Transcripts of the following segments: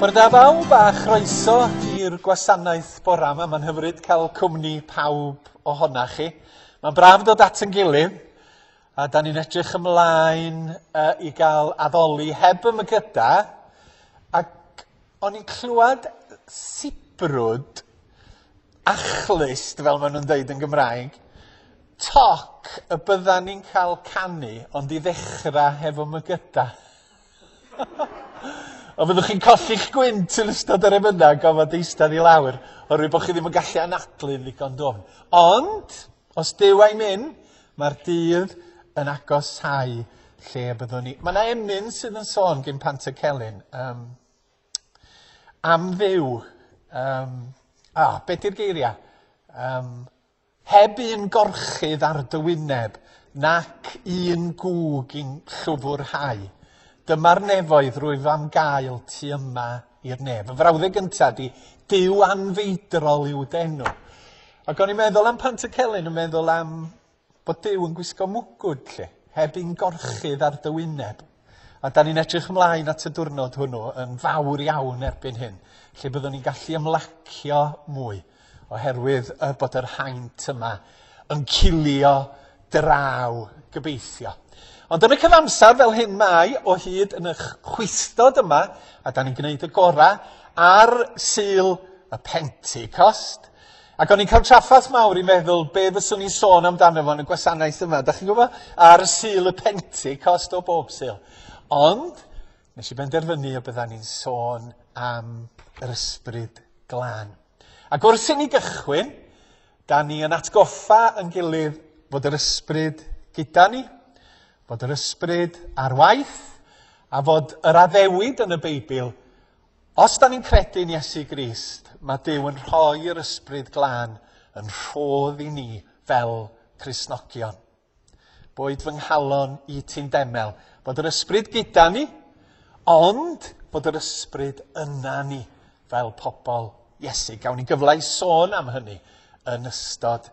Bore da bawb a chroeso i'r gwasanaeth bora yma. Mae'n hyfryd cael cwmni pawb ohona chi. Mae'n braf dod at yn gilydd a da ni'n edrych ymlaen uh, i gael addoli heb ymgyda ac o'n i'n clywed sibrwd achlust, fel maen nhw'n dweud yn Gymraeg, toc y byddan ni'n cael canu, ond i ddechrau hefo mygyda. Ond fyddwch chi'n colli'ch gwynt yn ystod yr emynau gofod eistedd i lawr, oherwydd bod chi ddim yn gallu anadlu'n ddigon dwfn. Ond, os Duw a'i myn, mae'r dydd yn agosáu lle y byddwn ni. Mae yna emyn sydd yn sôn gyn Pantycelyn. Um, am Dduw. Um, ah, be di'r geiriau? Um, heb un gorchudd ar dy wyneb, nac un gŵg i'n llwfwrhau. Dyma'r nefoedd rwyf am gael tu yma i'r nef. Y frawddeg gyntaf di, Duw anfeidrol yw d'enw. Ac o'n i'n meddwl am Pantycelyn, yn meddwl am bod Duw yn gwisgo mwgwd, lle, heb un gorchudd ar dy wyneb. A da ni'n edrych ymlaen at y diwrnod hwnnw yn fawr iawn erbyn hyn, lle byddwn ni'n gallu ymlacio mwy, oherwydd y bod yr haint yma yn cilio draw, gobeithio. Ond yn y cyfamser fel hyn mae o hyd yn y chwistod yma, a da ni'n gwneud y gorau ar Sul y Pentecost, Ac o'n i'n cael trafferth mawr i meddwl be fyswn i'n sôn amdano fo yn y gwasanaeth yma. Da chi'n gwybod? Ar Sul y Pentecost o bob Sul. Ond, nes i benderfynu y byddan ni'n sôn am yr ysbryd glân. Ac wrth i ni gychwyn, da ni yn atgoffa yn gilydd fod yr ysbryd gyda ni, fod yr ysbryd ar waith, a fod yr addewid yn y Beibl Os da ni'n credu yn Iesu Grist, mae Duw yn rhoi yr Ysbryd Glân yn rhodd i ni fel Cristnogion. Boed fy nghalon i ti'n demel, bod yr Ysbryd gyda ni, ond bod yr Ysbryd yna ni fel pobl Iesu. Gawn ni gyfle i sôn am hynny yn ystod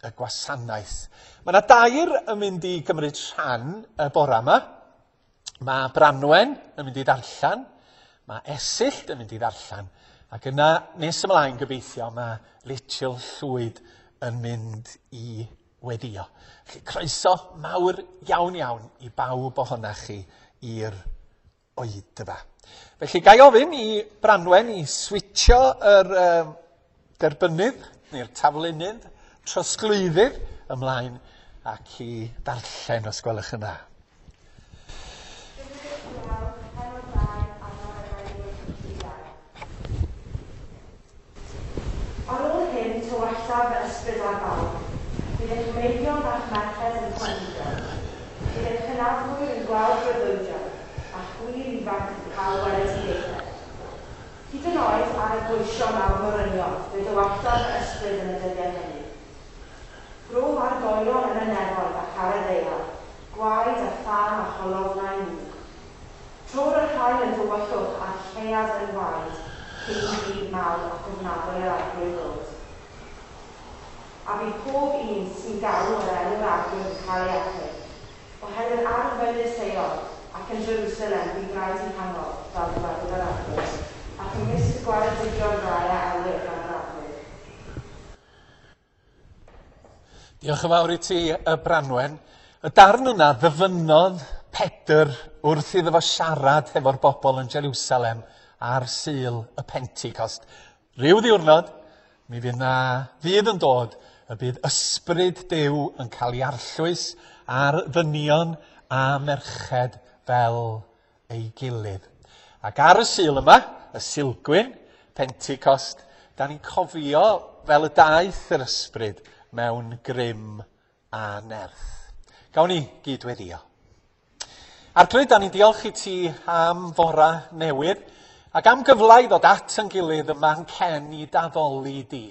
y gwasanaeth. Mae yna dair yn mynd i gymryd rhan y bora yma. Mae Branwen yn mynd i ddarllen, mae Esyllt yn mynd i ddarllen, ac yna nes ymlaen gobeithio mae Rachel Llwyd yn mynd i weddio. Felly croeso mawr iawn iawn i bawb ohonach chi i'r oedfa. Felly ga i ofyn i Branwen i switsio yr um, derbynnydd neu'r taflunydd, trosglwyddydd ymlaen ac i ddarllen os gwelwch yn dda. Ar ôl hyn, tywallaf fy ysbryd ar bawb. Bydd eich meibion a'ch merched yn proffwydo. Bydd eich hynafwyr yn gweld breuddwydion, a'ch gwŷr ifanc yn cael weledigaethau. Hyd yn oed ar y gweision a'r morynion, fe dywalltodd fy ysbryd yn y dyddiau hynny. Brof argoelion yn y nefoedd ac ar y ddaear, gwaed a thân a cholofnau mwg. Trodd yr haul yn dywyllwch a'r lleuad yn waed cyn i ddydd mawr ac ofnadwy yr Arglwydd ddod. A bydd pob un sy'n galw ar enw'r Arglwydd yn cael ei achub. Oherwydd ar fynydd Seion ac yn Jerusalem bydd rhaid i hangodd, fel dywedodd yr Arglwydd, ac ymysg y gwaredigion rai a elwir gan yr Arglwydd. Diolch yn fawr i ti, y Branwen. Y darn yna ddyfynnodd Pedr wrth iddo fo siarad hefo'r bobl yn Jerusalem ar Sul y Pentecost. Rhyw ddiwrnod, mi fydd 'na ddydd yn dod y bydd ysbryd Duw yn cael ei arllwys ar ddynion a merched fel ei gilydd. Ac ar y Sul yma, y Sulgwyn, Pentecost, da ni'n cofio fel y daeth yr ysbryd mewn grym a nerth. Gawn ni gyd-weddio. Arglwydd, da ni'n diolch i ti am fora newydd ac am gyfle i ddod at yn gilydd yma yn cen i daddoli di.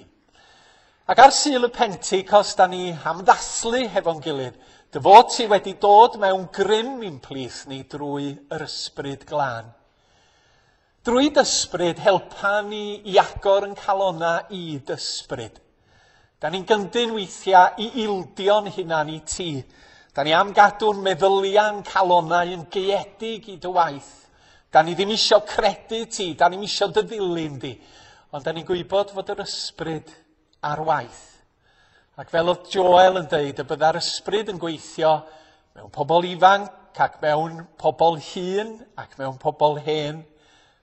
Ac ar Sul y Pentecost, da ni am ddathlu hefo'n gilydd dy fod ti wedi dod mewn grym i'n plith ni drwy yr Ysbryd Glân. Drwy d'Ysbryd, helpa ni i agor yn calonna i d'Ysbryd. Da ni'n gyndyn weithiau i ildio'n hunan i ti. Da ni am gadw'n meddyliau'n calonnau yn gaeedig i dy waith. Da ni ddim isio credu ti, da ni'm isio dy ddilyn di. Ond da ni'n gwybod fod yr ysbryd ar waith. Ac fel oedd Joel yn deud, y bydda'r ysbryd yn gweithio mewn pobl ifanc ac mewn pobl hŷn ac mewn pobl hen,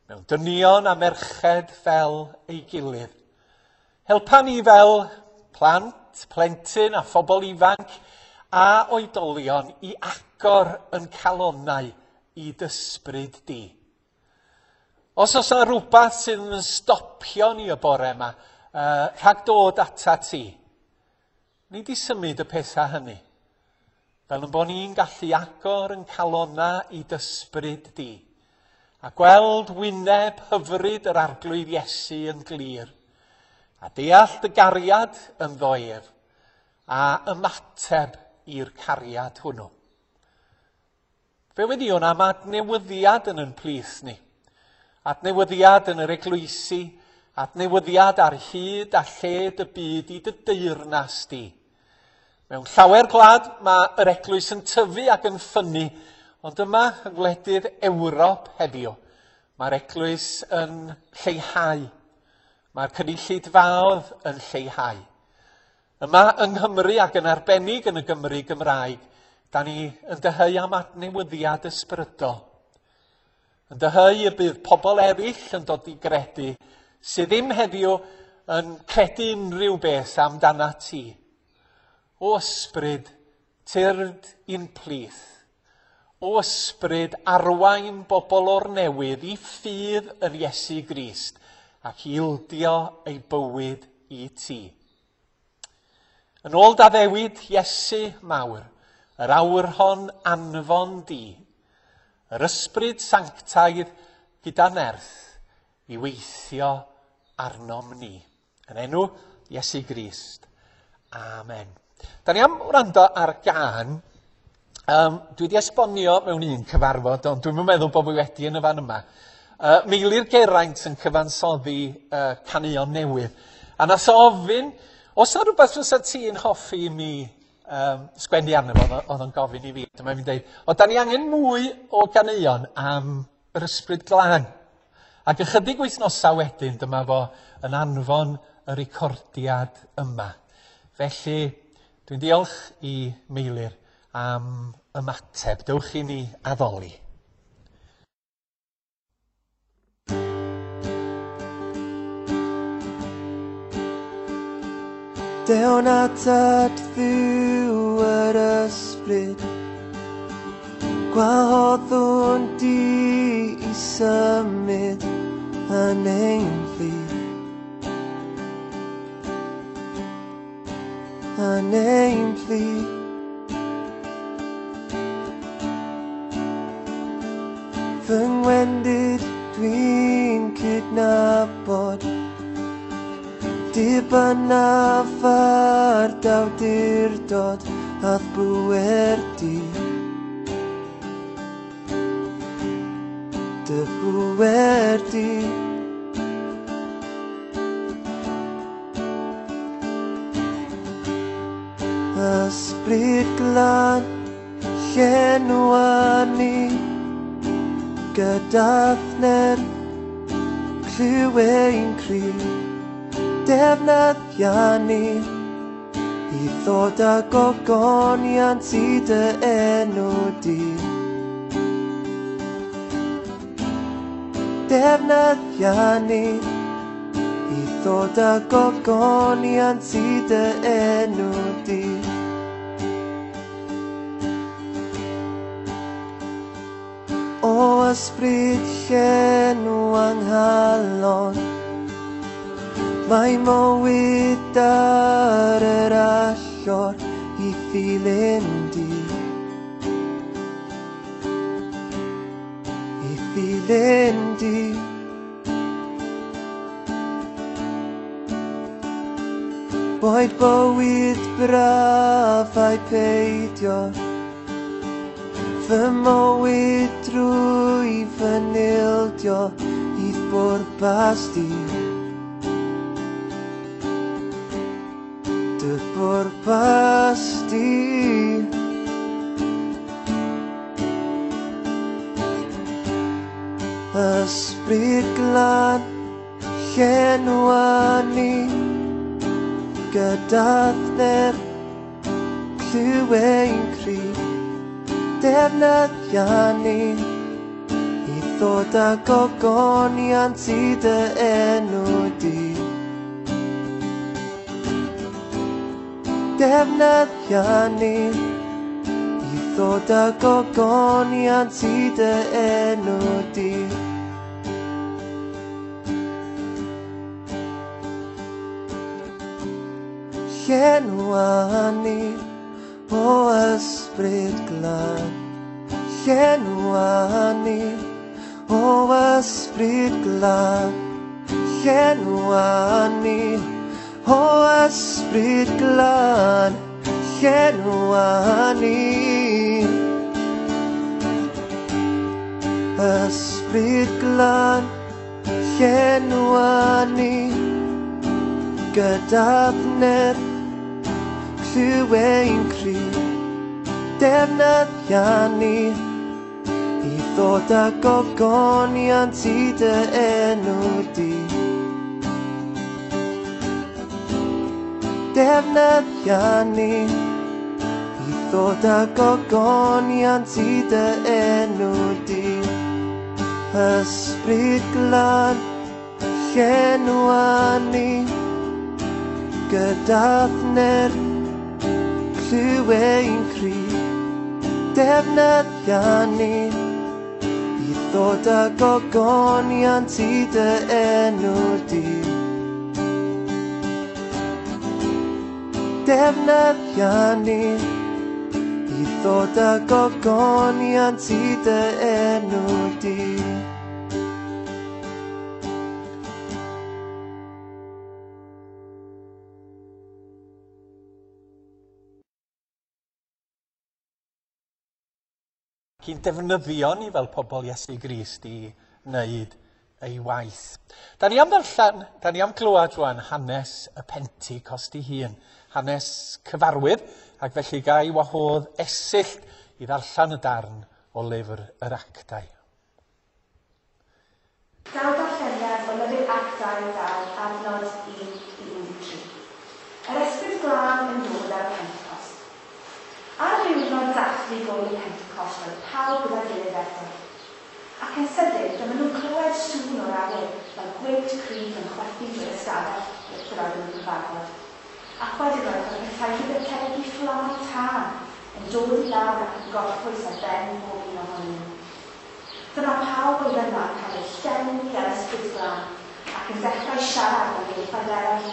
mewn dynion a merched fel ei gilydd. Helpa ni fel plant, plentyn a phobl ifanc a oedolion i agor yn calonnau i d'ysbryd di. Os oes yna rhywbeth sydd yn stopio ni y bore yma, rhag dod ata ti, ni di symud y pethau hynny. Fel yn bod ni'n gallu agor yn calonna i d'ysbryd di, a gweld wyneb hyfryd yr Arglwydd Iesu yn glir, a deall dy gariad yn ddoef, a ymateb i'r cariad hwnnw. Fe weddïwn am adnewyddiad yn yn plith ni. Adnewyddiad yn yr eglwysi, adnewyddiad ar hyd a lled y byd i dy deyrnas di. Mewn llawer gwlad mae yr eglwys yn tyfu ac yn ffynnu, ond yma yng ngwledydd Ewrop heddiw, mae'r eglwys yn lleihau. Mae'r cynulleidfaoedd yn lleihau. Yma yng Nghymru ac yn arbennig yn y Gymru Gymraeg, da ni yn dyheu am adnewyddiad ysbrydol. Yn dyheu y bydd pobl eraill yn dod i gredu sydd ddim heddiw yn credu unrhyw beth amdana ti. O ysbryd, tyrd i'n plith. O ysbryd, arwain bobl o'r newydd i ffydd yn Iesu Grist ac i ildio ei bywyd i ti. Yn ôl d'addewid Iesu mawr, yr awr hon anfon di, yr ysbryd sanctaidd gyda nerth i weithio arnom ni. Yn enw Iesu Grist. Amen. Da ni am wrando ar gân. Dwi wedi esbonio mewn un cyfarfod, ond dwi'm yn meddwl bod fi wedi yn y fan yma. Meilir Geraint yn cyfansoddi caneuon newydd. A nath o ofyn, os yna rhywbeth fysa ti'n hoffi i mi sgwennu arno fo, oedd o'n gofyn i fi. Dyma fi'n deud, o, da ni angen mwy o ganeuon am yr ysbryd glân. Ac ychydig wythnosau wedyn, dyma fo yn anfon y recordiad yma. Felly, dwi'n diolch i Meilir am ymateb. Dewch i ni addoli. Dewn atat Dduw yr ysbryd, gwahoddwn di i symud yn ein plith. Yn ein plith. Fy ngwendid dwi'n cydnabod, dibynnaf ar d'awdurdod a'th bŵer di. Dy bŵer di. Ysbryd glân, llenwa ni gyda'th nerth, clyw ein cri, defnyddia ni i ddod â gogoniant i dy enw di. Defnyddia ni i ddod â gogoniant i dy enw di. O ysbryd llenw anghalon, mae mywyd ar yr allor i ddilyn di. I ddilyn di. Boed bywyd braf ai peidio, fy mywyd drwy fy nildio i'th bwrpas di. Dy bwrpas di. Ysbryd glân, llenwa ni gyda thyner, clyw ein cri, defnyddia ni i ddod â gogoniant i dy enw di. Defnyddia ni i ddod â gogoniant i dy enw di. Llenwa ni o ysbryd glân. Llenwa ni o ysbryd glân. Llenwa ni o ysbryd glân. Llenwa ni. Ysbryd glân, llenwa ni gyda thyner, clyw ein cri, defnyddia ni i ddod â gogoniant i dy enw di. Defnyddia ni i ddod â gogoniant i dy enw di. Ysbryd glân, llenwa ni gyda thyner, clyw ein cri, defnyddia ni i ddod â gogoniant i dy enw di. Defnyddia ni i ddod â gogoniant i dy enw di. Cyn defnyddio ni fel pobl Iesu Grist i wneud ei waith. Da ni am ddarllen, da ni am glywed rwan hanes y Pentecost ei hun, hanes cyfarwydd, ac felly ga i wahodd Esyllt i ddarllen y darn o lyfr yr Actau. Daw darlleniad o lyfr Actau 2, adnod 1 i 13. Yr Ysbryd Glân yn dod ar y Pentecost. Ar ddiwrnod dathlu gŵyl y Pentecost roedd pawb gyda'i gilydd eto. Ac yn sydyn, dyma nhw'n clywed sŵn o'r awyr fel gwynt cryf yn chwythu drwy'r ystafell lle roedden nhw'n cyfarfod. Ac wedyn roedd fel petai rhywbeth tebyg i fflamau tân yn dod i lawr ac yn gorffwys ar ben pob un ohonyn nhw. Dyma pawb oedd yna yn cael eu llenwi â'r Ysbryd Glân ac yn dechrau siarad mewn ieithoedd eraill.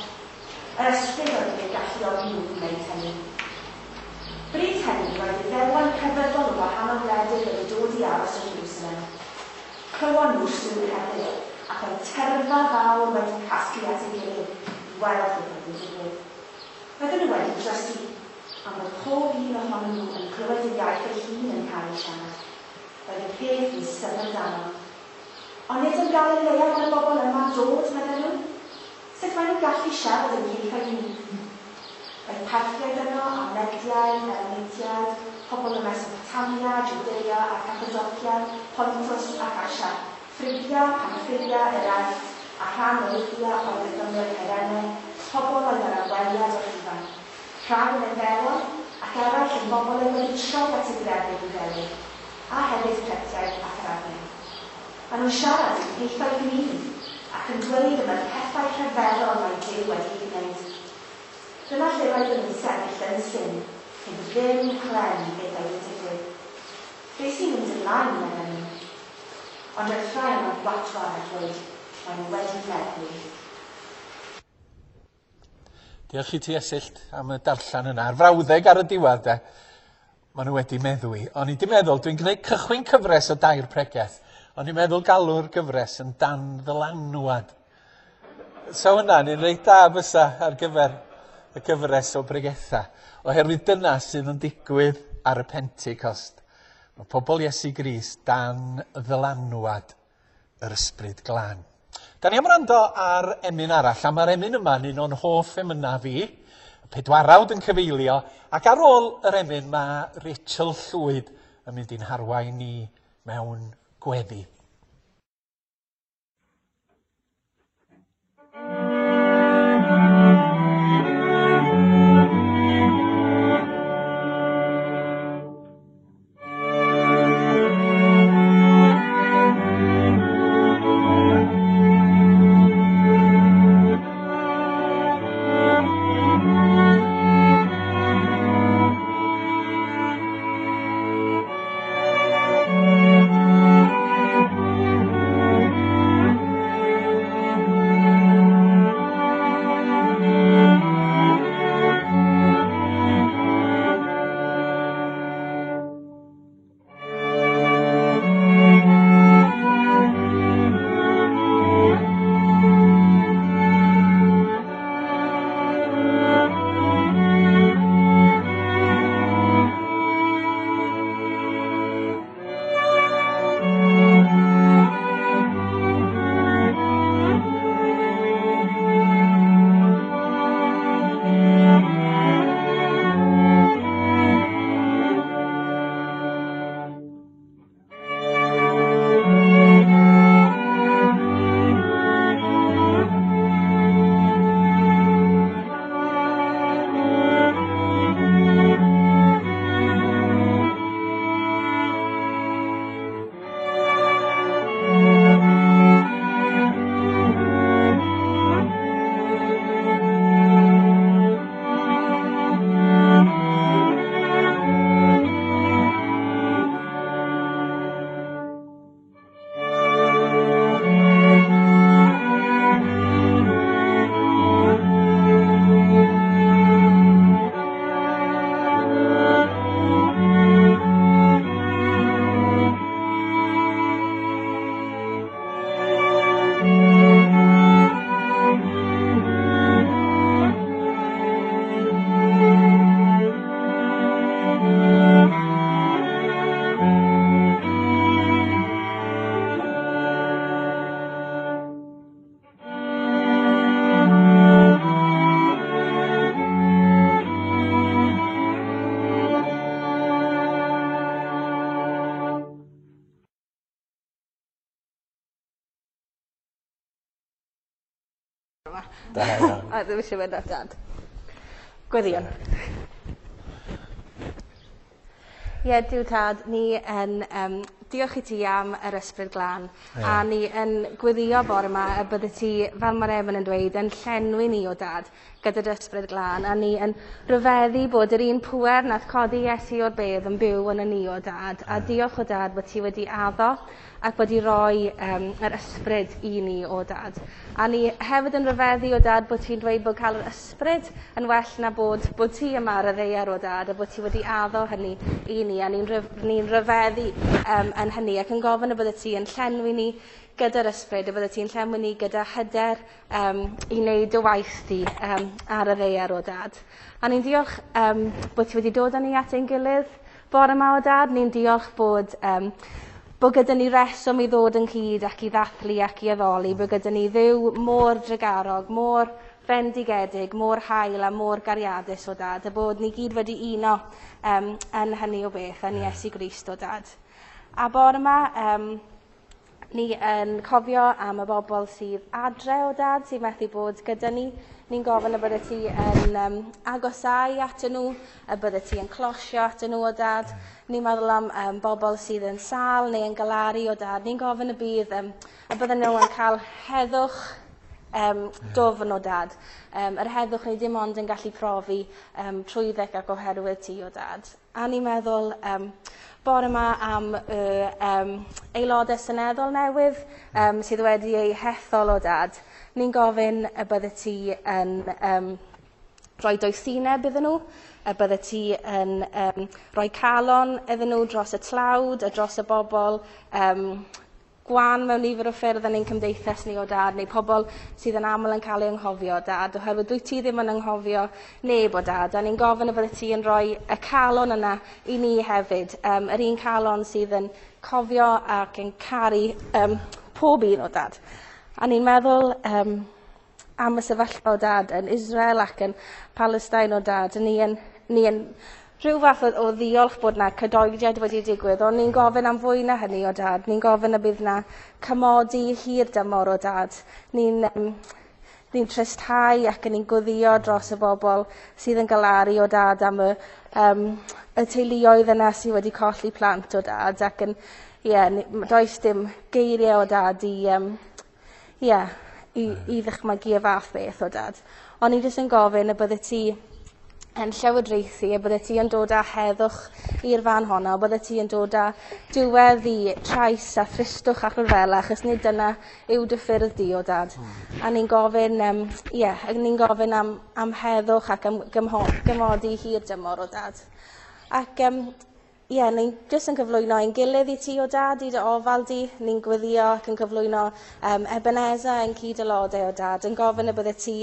Yr Ysbryd oedd wedi eu galluogi nhw i wneud hynny. Bryd hynny, roedd Iddewon crefyddol o wahanol wledydd wedi dod i aros yn Jerusalem. Clywon nhw'r sŵn hefyd, ac roedd tyrfa fawr wedi casglu at ei gilydd i weld beth oedd yn digwydd. Roedden nhw wedi drysu, am fod pob un ohonyn nhw yn clywed ei iaith ei hun yn cael ei siarad. Roedd y peth yn syfrdanol. Ond nid o Galilea mae'r bobl yma'n dod, medden nhw. Sut maen nhw'n gallu siarad ein hieithoedd ni? Roedd Parthiaid yno, a Mediaid, Elamitiaid, pobl o Mesopotamia, Jwdea a Cappadocia, Pontus ac Asia, Ffrygia, Pamphylia, yr Aifft, a rhan o Libya oedd yn ymyl Cyrene, pobl oedd ar ymweliad o Rhufain. Rhai yn Iddewon, ac eraill yn bobl oedd wedi troi at y grefydd Iddewig, a hefyd Cretiaid ac Arabiaid. Maen nhw'n siarad ein hieithoedd ni, ac yn dweud am y pethau rhyfeddol mae Duw wedi eu gwneud. Dyma lle roedden nhw'n sefyll yn syn, heb ddim clem beth oedd yn digwydd. Be sy'n mynd ymlaen, medden nhw. Ond roedd rhai yno'n gwatwar a dweud, maen nhw wedi meddwi. Diolch i ti Esyllt am y darllen yna. A'r frawddeg ar y diwedd de, maen nhw wedi meddwi. O'n i 'di meddwl, dwi'n gwneud cychwyn cyfres o dair pregeth. O'n i'n meddwl galw'r gyfres yn dan ddylanwad. So hwnna'n un reit da fysa ar gyfer y gyfres o bregethau. Oherwydd dyna sydd yn digwydd ar y Pentecost. Mae pobl Iesu Grist dan ddylanwad yr Ysbryd Glân. Da ni am wrando ar emyn arall, a mae'r emyn yma'n un o'n hoff emynau fi, y pedwarawd yn cyfeilio, ac ar ôl yr emyn mae Rachel Llwyd yn mynd i'n harwain ni mewn gweddi. bore yma. Da iawn. A ddim eisiau mynd at dad. Gweddïwn. Ie, Duw Tad, ni yn diolch i ti am yr Ysbryd Glân. Ie. A ni yn gweddio bore 'ma y bydde ti, fel ma'r emyn yn dweud, yn llenwi ni o Dad gyda dy Ysbryd Glân. A ni yn rhyfeddu bod yr un pŵer nath codi Iesu o'r bedd yn byw yn ni o Dad. A diolch o Dad bod ti wedi addo ac wedi rhoi yr ysbryd i ni o Dad. A ni hefyd yn rhyfeddu o Dad bod ti'n dweud bod cael yr ysbryd yn well na bod ti yma ar y ddaear o Dad, a bod ti wedi addo hynny i ni, a ni'n rhyfeddu yn hynny ac yn gofyn y bydde ti yn llenwi ni gyda'r ysbryd, y bydde ti'n llenwi ni gyda hyder i wneud dy waith di ar y ddaear o Dad. A ni'n diolch bod ti wedi dod â ni at ein gilydd bore yma o Dad. Ni'n diolch bod gyda ni reswm i ddod ynghyd ac i ddathlu ac i addoli, bod gyda ni Dduw mor drugarog, mor fendigedig, mor hael a mor gariadus o Dad, a bod ni gyd wedi uno yn hynny o beth, yn Iesu Grist o Dad. A bore yma, ni yn cofio am y bobl sydd adre o Dad, sydd methu bod gyda ni. Ni'n gofyn y bydde ti yn agosáu atyn nhw, y bydde ti yn closio atyn nhw o Dad. Ni'n meddwl am bobl sydd yn sâl neu yn galaru o Dad. Ni'n gofyn y bydd y bydden nhw yn cael heddwch dwfn o Dad. Yr heddwch ni dim ond yn gallu profi trwyddeg ac oherwydd ti o Dad. A ni'n meddwl bore yma am y aelodau seneddol newydd sydd wedi eu hethol o Dad. Ni'n gofyn y bydde ti yn rhoi doethineb iddyn nhw, y bydde ti yn rhoi calon iddyn nhw dros y tlawd a dros y bobl gwan mewn nifer o ffyrdd yn ein cymdeithas ni o Dad, neu pobl sydd yn aml yn cael eu anghofio o Dad, oherwydd dwyt ti ddim yn anghofio neb o Dad, a ni'n gofyn y bydde ti yn rhoi y calon yna i ni hefyd, yr un calon sydd yn cofio ac yn caru pob un o Dad. A ni'n meddwl am y sefyllfa o Dad yn Israel ac yn Palestine o Dad, ni yn rhyw fath o ddiolch bod na cadoediad wedi digwydd, ond ni'n gofyn am fwy na hynny o Dad. Ni'n gofyn y bydd na cymodi hir dymor o Dad. Ni'n tristhau ac ni'n gweddio dros y bobl sydd yn galaru o Dad am y teuluoedd yna sydd wedi colli plant o Dad, ac yn, ie, does dim geiriau o Dad i ddychmygu y fath beth o Dad. Ond ni jyst yn gofyn y bydde ti yn llywodraethu, y bydde ti yn dod â heddwch i'r fan honno, y bydde ti yn dod â diwedd i trais a thristwch a rhyfela, achos nid dyna yw dy ffyrdd di o Dad. A ni'n gofyn, ie, a ni'n gofyn am heddwch ac am gymodi hir dymor o Dad. Ac ie, ni'n jyst yn cyflwyno ein gilydd i ti o Dad, i dy ofal di. Ni'n gweddio ac yn cyflwyno Ebenezer yn cyd-aelodau o Dad, yn gofyn y bydde ti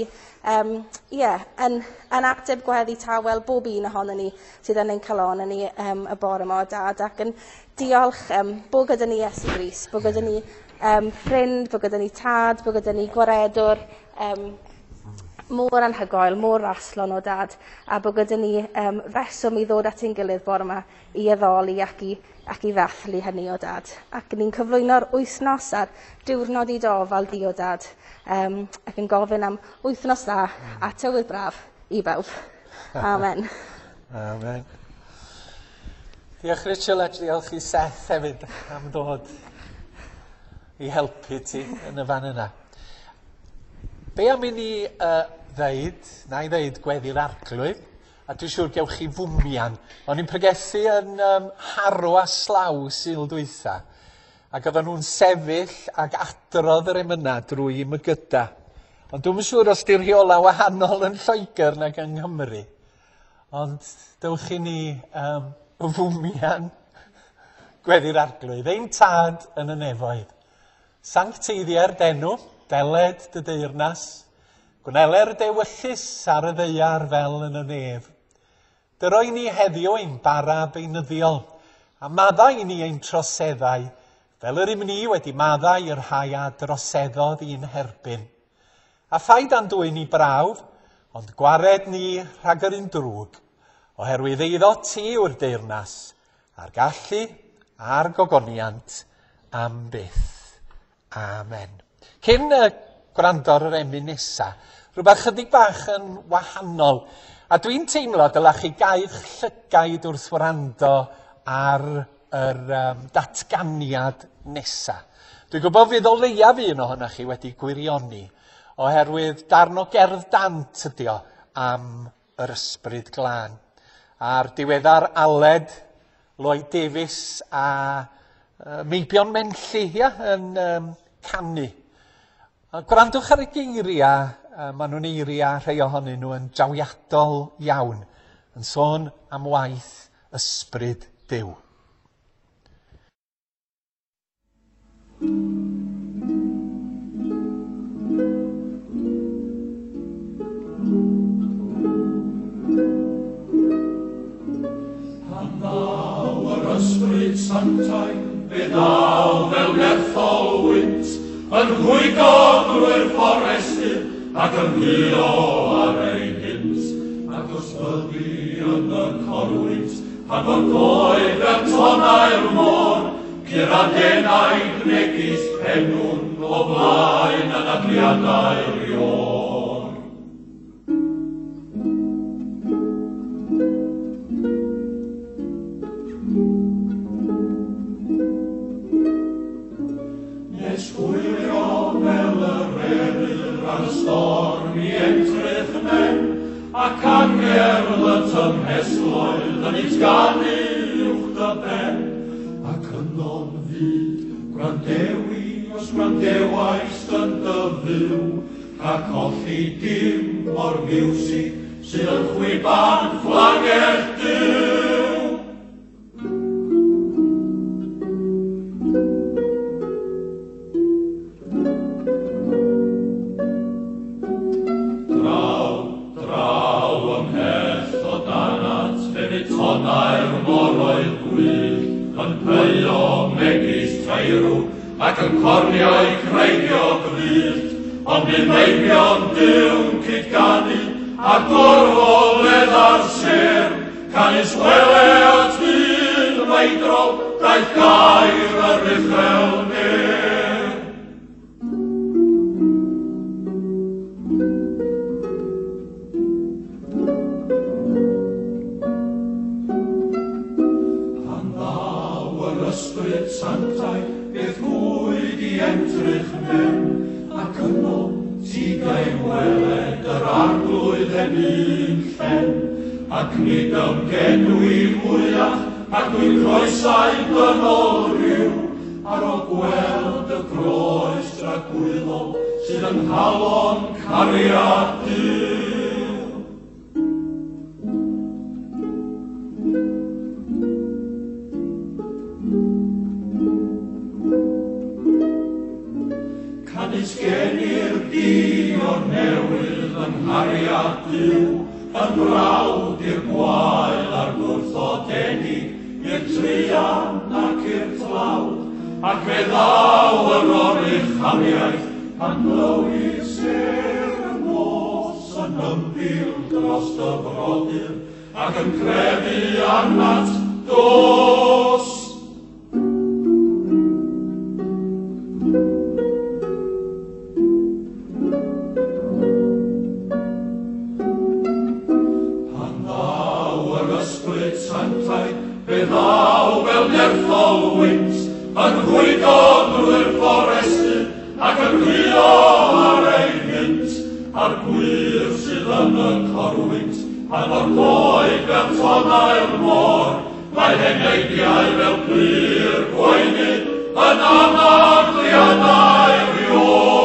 yn ateb gweddi tawel bob un ohonon ni sydd yn ein calon ni y bore yma o Dad, ac yn diolch bod gyda ni Iesu Grist, bod gyda ni ffrind, bod gyda ni tad, bod gyda ni gwaredwr mor anhygoel, mor raslon o Dad, a bod gyda ni reswm i ddod at ein gilydd bore yma i addoli ac i ddathlu hynny o Dad. Ac ni'n cyflwyno'r wythnos a'r diwrnod i dy ofal di o Dad, ac yn gofyn am wythnos dda a tywydd braf i bawb. Amen. Amen. Diolch Rachel, a diolch i Seth hefyd am ddod i helpu ti yn y fan yna. Be am i ni ddeud, na i ddeud gweddi'r Arglwydd, a dwi'n siŵr gewch chi fwmian. O'n i'n pregethu yn Harrow a Slough Sul dwytha, ac oedden nhw'n sefyll ac adrodd yr emyna drwy mygyda. Ond dwi'm yn siŵr os di'r rheola wahanol yn Lloegr nag yng Nghymru. Ond dewch i ni fwmian gweddi'r Arglwydd. Ein Tad yn y nefoedd, sancteiddia'r d'enw, deled dy deyrnas, gwneler dewyllys ar y ddaear fel yn y nef. Dyroi ni heddiw ein bara beunyddiol, a maddau i ni ein troseddau, fel yr ym ni wedi maddau i'r rhai a droseddodd i'n herbyn. A phaid â'n dwyn i brawf, ond gwared ni rhag yr un drwg, oherwydd eiddo ti yw'r deyrnas, a'r gallu a'r gogoniant am byth. Amen. Cyn gwrando ar yr emyn nesa. Rhywbeth chydig bach yn wahanol. A dwi'n teimlo dylech chi gau'ch llygaid wrth wrando ar yr um, datganiad nesa. Dwi'n gwybod fydd o leiaf un ohonoch chi wedi gwirioni, oherwydd darn o gerdd dant ydi o am yr ysbryd glân. A'r diweddar Aled Lloyd Davies a Meibion Menlli ia, yn um, canu. A gwrandwch ar y geiriau, uh, maen nhw'n eiriau rhai ohonyn nhw yn drawiadol iawn, yn sôn am waith ysbryd Duw. Pan ddaw yr ysbryd sanctaidd, fe ddaw fel nerthol wynt, yn rhwygo drwy'r fforestydd ac yn huo ar ei hynt. Ac os byddi yn y corwynt, pan fo'r goed fel tonnau'r môr, Cur a denaid megis pennwn o flaen anadliadau'r iôr. Nes hwylio fel yr eryr ar y storm i entrych men, ac angerdd y tymhestloedd yn utganu uwch dy ben. Ac yno'n fud, gwrandewi os gwrandewaist yn dy fyw, rhag colli dim o'r miwsig sydd yn chwiban fflagell Duw. Draw, draw ymhell o danat, fe fydd tonnau'r moroedd gwyllt yn pyio megis teirw ac yn corniau creigiog wyllt, ond bydd meibion Duw'n cyd-ganu a gorfoledd ar sêr, canys wele at ddydd meidrol daeth gair yr uchel ner. Pan ddaw yr ysbryd sanctaidd, bydd gwyd i entrych men, ac yno ti gai weled yr arglwydd heb un llen, ac nid ymgedwi mwyach, ac dwi'n croesau dynol rhyw, ar ôl gweld y groes dragwyddol sydd yng nghalon cariad Duw. Canys genir di o'r newydd yng nghariad Duw, yn frawd i'r gwael a'r gwrthodedig, i'r truan ac i'r tlawd, ac fe ddaw yr oruchafiaeth pan glywi sêr y nos yn ymbil dros dy frodyr, ac yn crefu arnat, dos! Pan ddaw yr ysbryd sanctaidd, fe ddaw fel nerthol wynt, yn rhwygo drwy'r fforestydd ac yn rhuo ar ei hynt, a'r gwir sydd yn y corwynt, pan fo'r coed fel tonnau'r môr, mae heneidiau fel pur gwaenydd yn anadliadau'r iôr.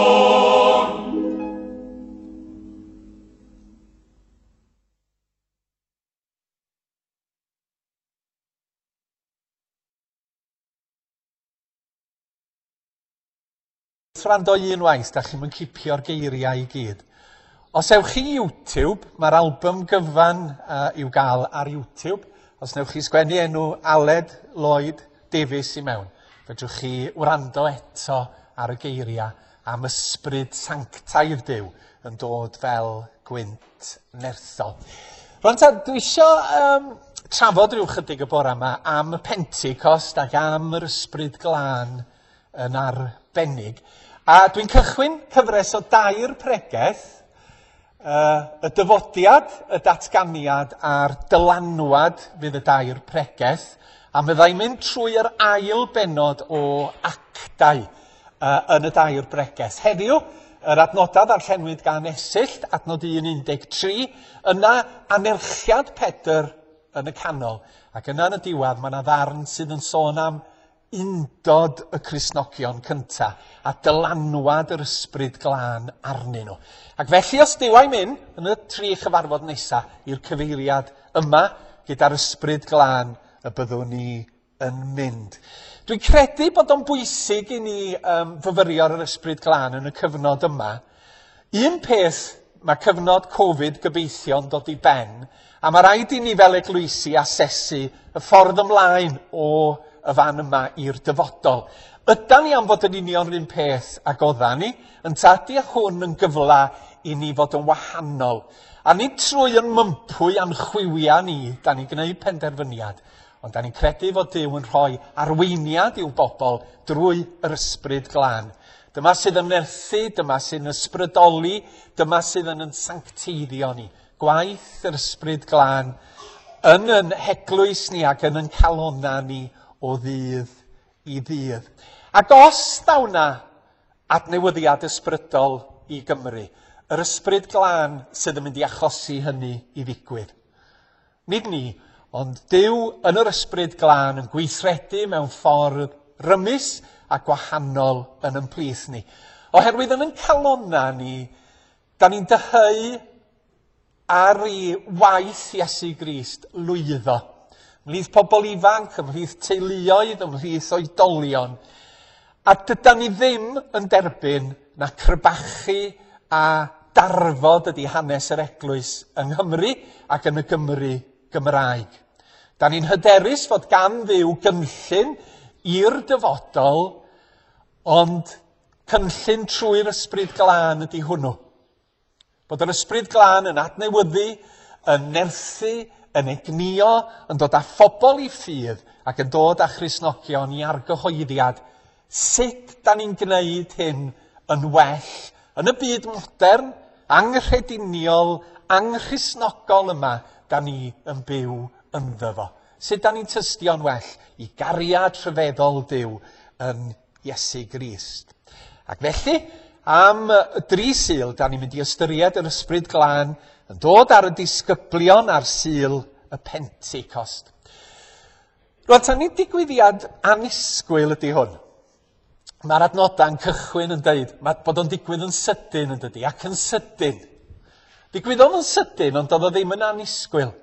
Wrth wrando unwaith, da chi'm yn cipio'r geiriau i gyd. Os ewch chi i YouTube, mae'r album gyfan uh, i'w gael ar YouTube. Os newch chi sgwennu enw Aled Lloyd Davies i mewn, fedrwch chi wrando eto ar y geiriau am ysbryd sanctaidd Duw yn dod fel gwynt nerthol. Rwan ta, dwi isio um, trafod rhyw chydig y bore yma am y Pentecost ac am yr ysbryd glân yn arbennig. A dwi'n cychwyn cyfres o dair pregeth, y dyfodiad, y datganiad a'r dylanwad fydd y dair pregeth, a fyddai'n mynd trwy yr ail bennod o actau yn y dair bregeth. Heddiw, yr adnodau ddarllenwyd gan Esyllt, adnod 1.13, yna anerchiad Pedr yn y canol, ac yna yn y diwedd mae yna ddarn sydd yn sôn am undod y Cristnogion cynta a dylanwad yr ysbryd glân arnyn nhw. Ac felly os Duw a'i mynd yn y tri chyfarfod nesa i'r cyfeiriad yma gyda'r ysbryd glân y byddwn ni yn mynd. Dwi'n credu bod o'n bwysig i ni fyfyrio ar yr ysbryd glân yn y cyfnod yma. Un peth, mae cyfnod Covid gobeithio'n dod i ben, a mae rhaid i ni fel eglwysi asesu y ffordd ymlaen o y fan yma i'r dyfodol. Ydan ni am fod yn union yr un peth ag oddan ni, ynta ydy hwn yn gyfle i ni fod yn wahanol? A nid trwy yn mympwy a'n chwiwia ni, da ni'n gwneud penderfyniad, ond da ni'n credu fod Duw yn rhoi arweiniad i'w bobl drwy yr ysbryd glân. Dyma sydd yn nerthu, dyma sy'n ysbrydoli, dyma sydd yn yn sancteiddio ni. Gwaith yr ysbryd glân yn yn heglwys ni ac yn yn calonna ni o ddydd i ddydd. Ac os daw 'na adnewyddiad ysbrydol i Gymru, yr ysbryd glân sydd yn mynd i achosi hynny i ddigwydd. Nid ni, ond Duw yn yr ysbryd glân yn gweithredu mewn ffordd rymus a gwahanol yn yn plith ni. Oherwydd yn yn calonna ni, da ni'n dyheu ar i waith Iesu Grist lwyddo. Ymhlith pobl ifanc, ymhlith teuluoedd, ymhlith oedolion. A dydan ni ddim yn derbyn na crebachu a darfod ydy hanes yr eglwys yng Nghymru ac yn y Gymru Gymraeg. Da ni'n hyderus fod gan Dduw gynllun i'r dyfodol, ond cynllun trwy'r ysbryd glân ydy hwnnw. Bod yr ysbryd glân yn adnewyddu, yn nerthu, yn egnïo, yn dod â phobl i ffydd ac yn dod â Christnogion i argyhoeddiad. Sut da ni'n gwneud hyn yn well yn y byd modern, anghrediniol, anghristnogol yma da ni yn byw ynddo fo? Sut da ni'n tystio'n well i gariad rhyfeddol Duw yn Iesu Grist? Ac felly, am dri Sul, da ni'n mynd i ystyried yr ysbryd glân yn dod ar y disgyblion ar Sul y Pentecost. Rwan, ta nid digwyddiad annisgwyl ydy hwn. Mae'r adnodau'n cychwyn yn deud mae bod o'n digwydd yn sydyn yn dydy, ac yn sydyn. Digwyddodd yn sydyn, ond doedd o ddim yn annisgwyl.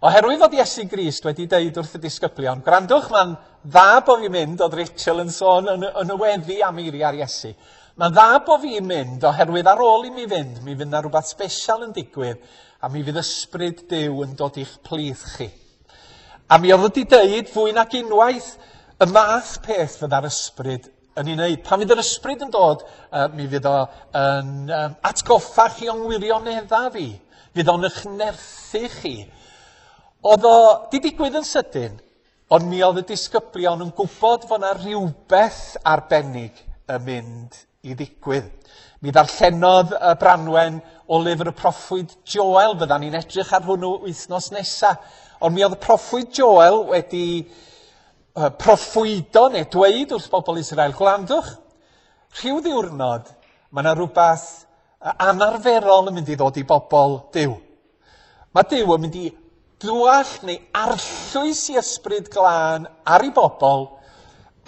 Oherwydd fod Iesu Grist wedi deud wrth y disgyblion, gwrandwch, mae'n dda bo fi'n mynd, oedd Rachel yn sôn yn y weddi am eiriau'r Iesu. Mae'n dda bo fi'n mynd, oherwydd ar ôl i mi fynd, mi fydd 'na rhywbeth special yn digwydd, a mi fydd ysbryd Duw yn dod i'ch plith chi. A mi oedd wedi deud fwy nag unwaith y math peth fydda'r ysbryd yn ei wneud. Pan fydd yr ysbryd yn dod, mi fydd o yn atgoffa chi o'n wirioneddau fi. Fydd o'n eich nerthu chi. Oedd o di digwydd yn sydyn, ond mi oedd y disgyblion yn gwybod fod yna rhywbeth arbennig yn mynd i ddigwydd. Mi ddarllenodd y Branwen o lyfr y proffwyd Joel, fyddan ni'n edrych ar hwnnw wythnos nesa. Ond mi oedd y proffwyd Joel wedi proffwydo neu dweud wrth bobl Israel, gwrandwch, rhyw ddiwrnod mae yna rhywbeth anarferol yn mynd i ddod i bobl Duw. Mae Duw yn mynd i dwall neu arllwys i ysbryd glân ar ei bobl,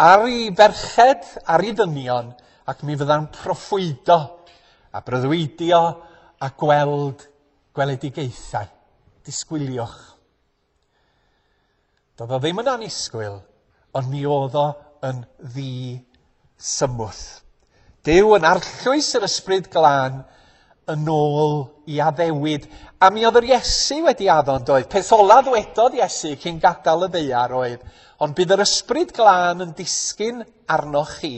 ar ei ferched, ar ei ddynion, ac mi fydda'n proffwydo a breuddwydio a gweld gweledigaethau. Disgwyliwch. Doedd o ddim yn annisgwyl, ond mi oedd o yn ddi-symwth. Duw yn arllwys yr ysbryd glân yn ôl i addewid. A mi oedd yr Iesu wedi addo yn doedd. Peth ola ddwedodd Iesu cyn gadael y ddaear oedd, ond bydd yr ysbryd glân yn disgyn arnoch chi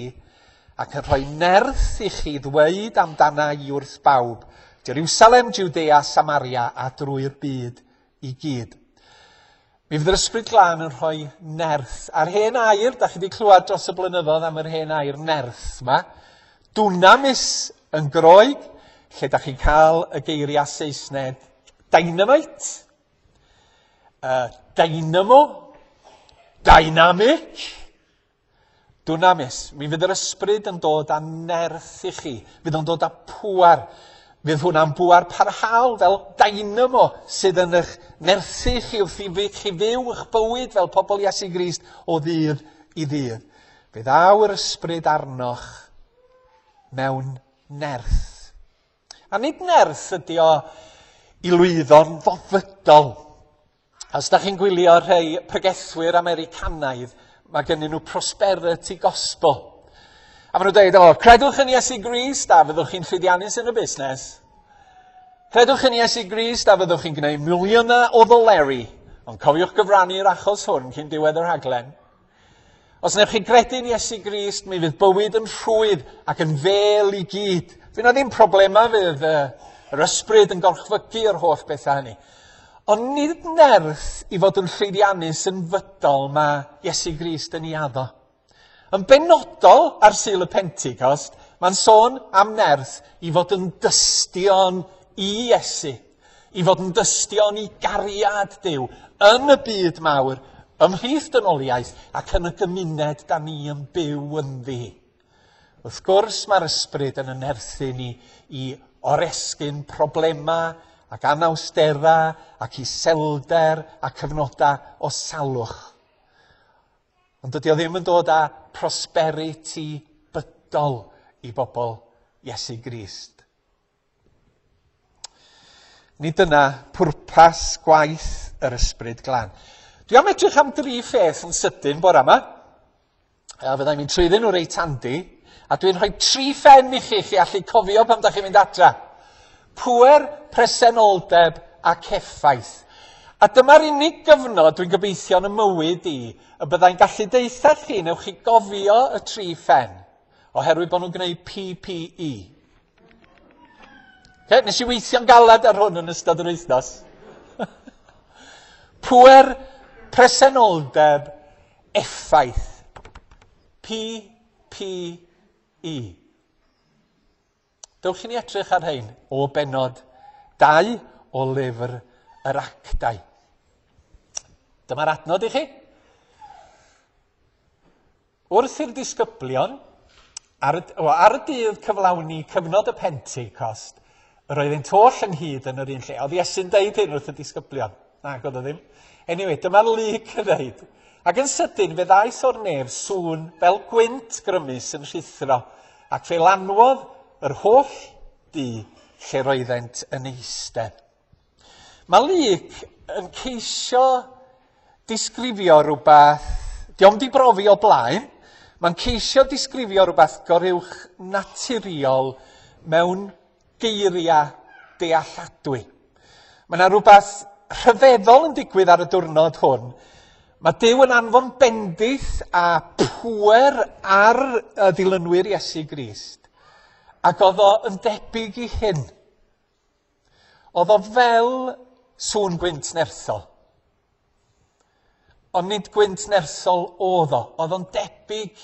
ac yn rhoi nerth i chi ddweud amdana i wrth bawb, Jerusalem, Judea, Samaria a drwy'r byd i gyd. Mi fydd yr ysbryd glân yn rhoi nerth. A'r hen air, da chi wedi clywed dros y blynyddoedd am yr hen air nerth yma. Dunamis yn Groeg, lle da chi'n cael y geiriau Saesneg dynamite, dynamo, dynamic, dunamis. Mi fydd yr ysbryd yn dod â nerth i chi. Fydd o'n dod â pŵar. Fydd hwnna'n bŵar parhaol fel dynamo sydd yn eich nerthu chi wrth i chi fyw eich bywyd fel pobl Iesu Grist o ddydd i ddydd. Fe ddaw yr ysbryd arnoch mewn nerth. A nid nerth ydy o i lwyddo'n fofydol. Os da chi'n gwylio rhai pregethwyr Americanaidd, mae gennyn nhw prosperity gospel. A maen nhw'n dweud, o, credwch yn Iesu Grist a fyddwch chi'n llwyddiannus yn y busnes. Credwch yn Iesu Grist a fyddwch chi'n gwneud miliynau o ddoleri. Ond cofiwch gyfrannu'r achos hwn cyn diwedd y rhaglen. Os wnewch chi gredu'n Iesu Grist, mi fydd bywyd yn rhwydd ac yn fel i gyd. Fydd na ddim problemau, fydd yr ysbryd yn gorchfygu yr holl bethau hynny. Ond nid nerth i fod yn llwyddiannus yn fydol mae Iesu Grist yn ei addo. Yn benodol ar Sul y Pentecost, mae'n sôn am nerth i fod yn dystion i Iesu, i fod yn dystion i gariad Duw yn y byd mawr, ymhlith dynoliaeth ac yn y gymuned da ni yn byw ynddi. Wrth gwrs mae'r ysbryd yn nerthu ni i oresgyn problemau ac anawsterau ac iselder a cyfnodau o salwch. Ond dydy o ddim yn dod â prosperity bydol i bobl Iesu Grist. Nid dyna pwrpas gwaith yr ysbryd glân. Dwi am edrych am dri pheth yn sydyn bore yma. A fyddai'n mynd trwyddyn nhw reit handi. A dwi'n rhoi tri phen i chi, chi allu cofio pan da chi'n mynd adra. Pŵer, presenoldeb ac effaith. A dyma'r unig gyfnod dwi'n gobeithio yn y mywyd i y byddai'n gallu deutha chi, newch chi gofio y tri phen, oherwydd bod nhw'n gwneud PPE. Okay, nes i weithio'n galed ar hwn yn ystod yr wythnos. Pŵer, presenoldeb, effaith. PPE. Dewch i ni edrych ar rhain o benod 2 o lyfr yr Actau. Dyma'r adnod i chi. Wrth i'r disgyblion, ar y dydd cyflawni cyfnod y Pentecost, yr oeddynt oll ynghyd yn yr un lle. Oedd Iesu'n deud hyn wrth y disgyblion? Na, oedd o ddim. Anyway, dyma Luc yn dweud. Ac yn sydyn fe ddaeth o'r nef sŵn fel gwynt grymus yn rhuthro, ac fe lanwodd yr holl dŷ lle roeddent yn eistedd. Mae Luc yn ceisio disgrifio rhywbeth, dio'm di brofi o blaen, mae'n ceisio disgrifio rhywbeth goruwch naturiol mewn geiriau dealladwy. Mae yna rhywbeth rhyfeddol yn digwydd ar y diwrnod hwn. Mae Duw yn anfon bendith a pŵer ar y ddilynwyr Iesu Grist. Ac oedd o yn debyg i hyn. Oedd o fel sŵn gwynt nerthol. Ond nid gwynt nerthol oedd o. Oedd o'n debyg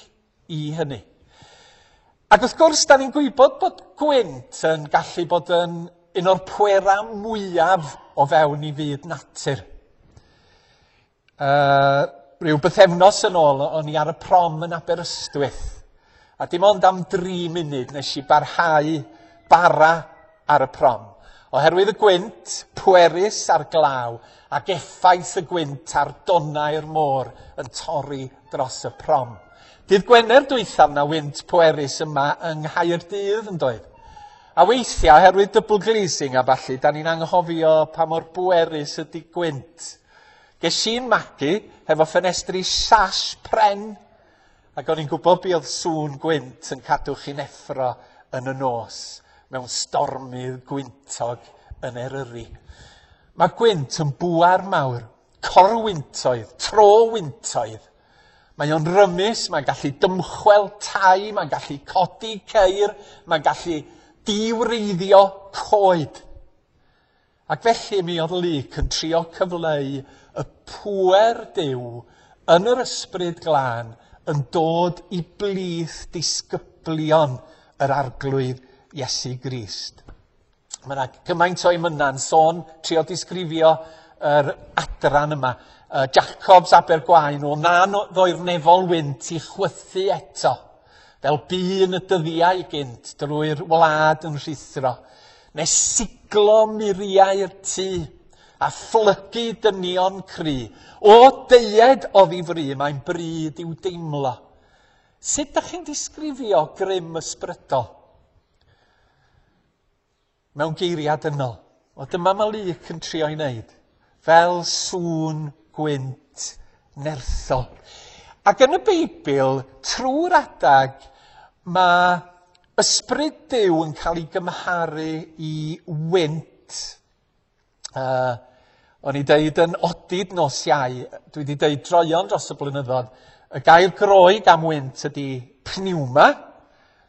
i hynny. Ac wrth gwrs, da ni'n gwybod bod gwynt yn gallu bod yn un o'r pwerau mwyaf o fewn i fyd natur. Rhyw bythefnos yn ôl, o'n i ar y prom yn Aberystwyth. A dim ond am 3 munud nes i barhau bara ar y prom. Oherwydd y gwynt pwerus a'r glaw ac effaith y gwynt ar donnau'r môr yn torri dros y prom. Dydd Gwener dwythaf na wynt pwerus yma yng Nghaerdydd yn doedd. A weithiau, oherwydd double glazing a ballu, da ni'n anghofio pa mor bwerus ydy gwynt. Ges i'n magu hefo ffenestri sash pren, ac o'n i'n gwybod be oedd sŵn gwynt yn cadw chi'n effro yn y nos mewn stormydd gwyntog yn Eryri. Mae gwynt yn bŵer mawr, corwyntoedd, trowyntoedd. Mae o'n rymus, mae'n gallu dymchwel tai, mae'n gallu codi ceir, mae'n gallu diwreiddio coed. Ac felly mi oedd Luc yn trio cyfleu y pŵer Duw yn yr ysbryd glân yn dod i blith disgyblion yr Arglwydd Iesu Grist. Mae yna gymaint o emynau'n sôn, trio disgrifio yr adran yma. Jacobs Abergwaun, o na ddoi'r nefol wynt i chwythu eto, fel bu yn y dyddiau gynt drwy'r wlad yn rhuthro, nes siglo muriau'r tŷ a phlygu dynion cry. O deued oddi fry, mae'n bryd i'w deimlo. Sut dach chi'n disgrifio grym ysbrydol? Mewn geiriau dynol. O dyma mae Luc yn trio ei wneud. Fel sŵn gwynt nerthol. Ac yn y Beibl, trwy'r adag, mae ysbryd Duw yn cael ei gymharu i wynt. O'n i deud yn odid nos Iau, dwi wedi deud droeon dros y blynyddoedd, y gair Groeg am wynt ydy pneuma,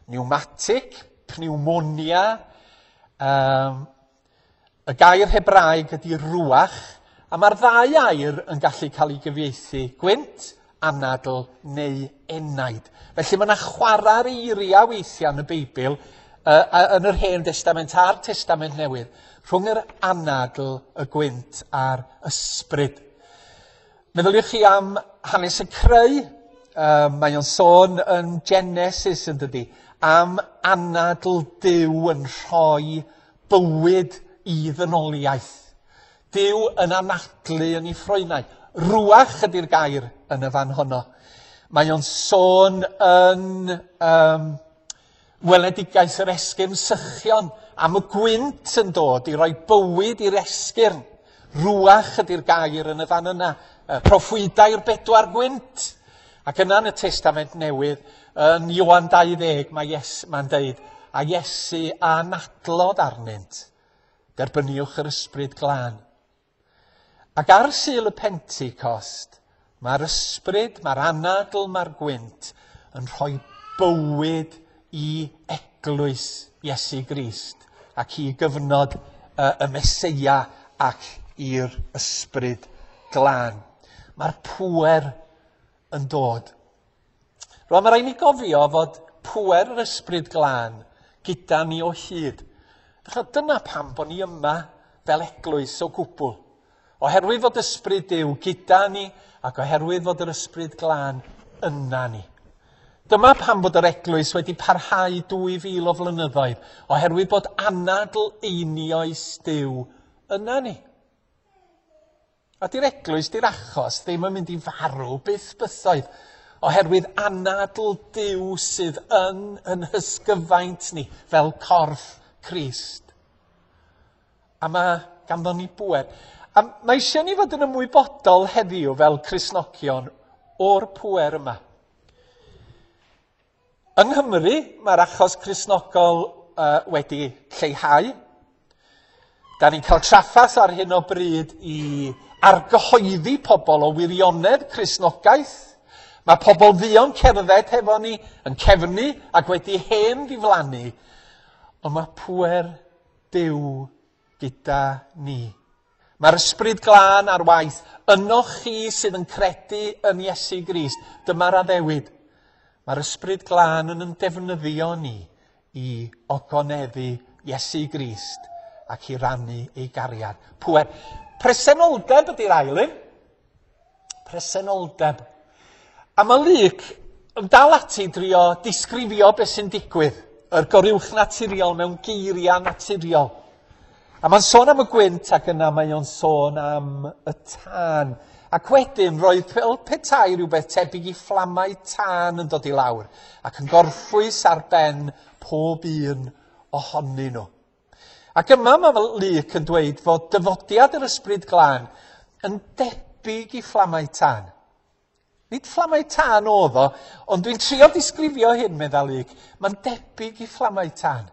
pneumatic, pneumonia. Y gair Hebraeg ydy ruach, a mae'r ddau air yn gallu cael ei gyfieithu gwynt, anadl neu enaid. Felly mae yna chwarae'r eiriau weithiau yn y Beibl, yn yr Hen Destament a'r Testament Newydd, rhwng yr anadl, y gwynt a'r ysbryd. Meddyliwch chi am hanes y creu. Mae o'n sôn yn Genesis yn dydy, am anadl Duw yn rhoi bywyd i ddynoliaeth. Duw yn anadlu yn ei ffroenau. Ruach ydy'r gair yn y fan honno. Mae o'n sôn yn weledigaeth yr esgyrn sychion am y gwynt yn dod i roi bywyd i'r esgyrn. Ruach ydy'r gair yn y fan yna. Proffwydau'r bedwar gwynt. Ac yna yn y Testament Newydd, yn Ioan 20, mae Ies, mae'n deud, a Iesu a anadlodd arnynt. Derbyniwch yr ysbryd glân. Ac ar Sul y Pentecost, mae'r ysbryd, mae'r anadl, mae'r gwynt yn rhoi bywyd i eglwys Iesu Grist ac i gyfnod y Meseia ac i'r ysbryd glân. Mae'r pŵer yn dod. Rwan mae rhaid ni gofio fod pŵer yr ysbryd glân gyda ni o hyd. Felly dyna pam bod ni yma fel eglwys o gwbl. Oherwydd fod ysbryd Duw gyda ni ac oherwydd fod yr ysbryd glân yna ni. Dyma pam bod yr eglwys wedi parhau 2000 o flynyddoedd, oherwydd bod anadl einioes Duw yna ni. A di'r eglwys, di'r achos, ddim yn mynd i farw byth bythoedd, oherwydd anadl Duw sydd yn yn hysgyfaint ni fel corff Crist. A mae ganddo ni bŵer. A mae eisiau ni fod yn ymwybodol heddiw fel Cristnogion o'r pŵer yma. Yng Nghymru, mae'r achos Cristnogol wedi lleihau. Da ni'n cael trafferth ar hyn o bryd i argyhoeddi pobl o wirionedd Cristnogaeth. Mae pobl fuon cerdded hefo ni yn cefnu ac wedi hen ddiflannu. Ond mae pŵer Duw gyda ni. Mae'r ysbryd glân ar waith ynoch chi sydd yn credu yn Iesu Grist. Dyma'r addewid. Mae'r ysbryd glân yn yn defnyddio ni i ogoneddu Iesu Grist ac i rannu ei gariad. Pŵer. Presenoldeb ydy'r ail un. Presenoldeb. A mae Luc yn dal ati drio disgrifio beth sy'n digwydd, yr goruwch naturiol mewn geiriau naturiol. A mae'n sôn am y gwynt ac yna mae o'n sôn am y tân. Ac wedyn roedd fel petai rhywbeth tebyg i fflamau tân yn dod i lawr ac yn gorffwys ar ben pob un ohonyn nhw. Ac yma mae Luc yn dweud fod dyfodiad yr ysbryd glân yn debyg i fflamau tân. Nid fflamau tân oedd o, ond dwi'n trio disgrifio hyn, medda Luc. Mae'n debyg i fflamau tân.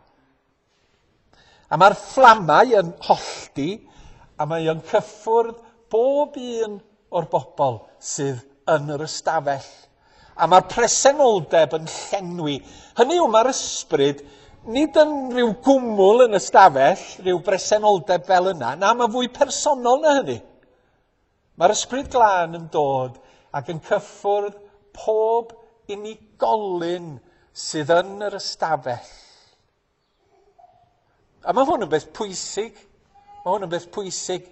A mae'r fflamau yn hollti, a mae o'n cyffwrdd bob un o'r bobl sydd yn yr ystafell. A mae'r presenoldeb yn llenwi. Hynny yw, mae'r ysbryd nid yn rhyw gwmwl yn ystafell, rhyw bresenoldeb fel yna. Na, mae fwy personol na hynny. Mae'r ysbryd glân yn dod ac yn cyffwrdd pob unigolyn sydd yn yr ystafell. A mae hwn yn beth pwysig. Mae hwn yn beth pwysig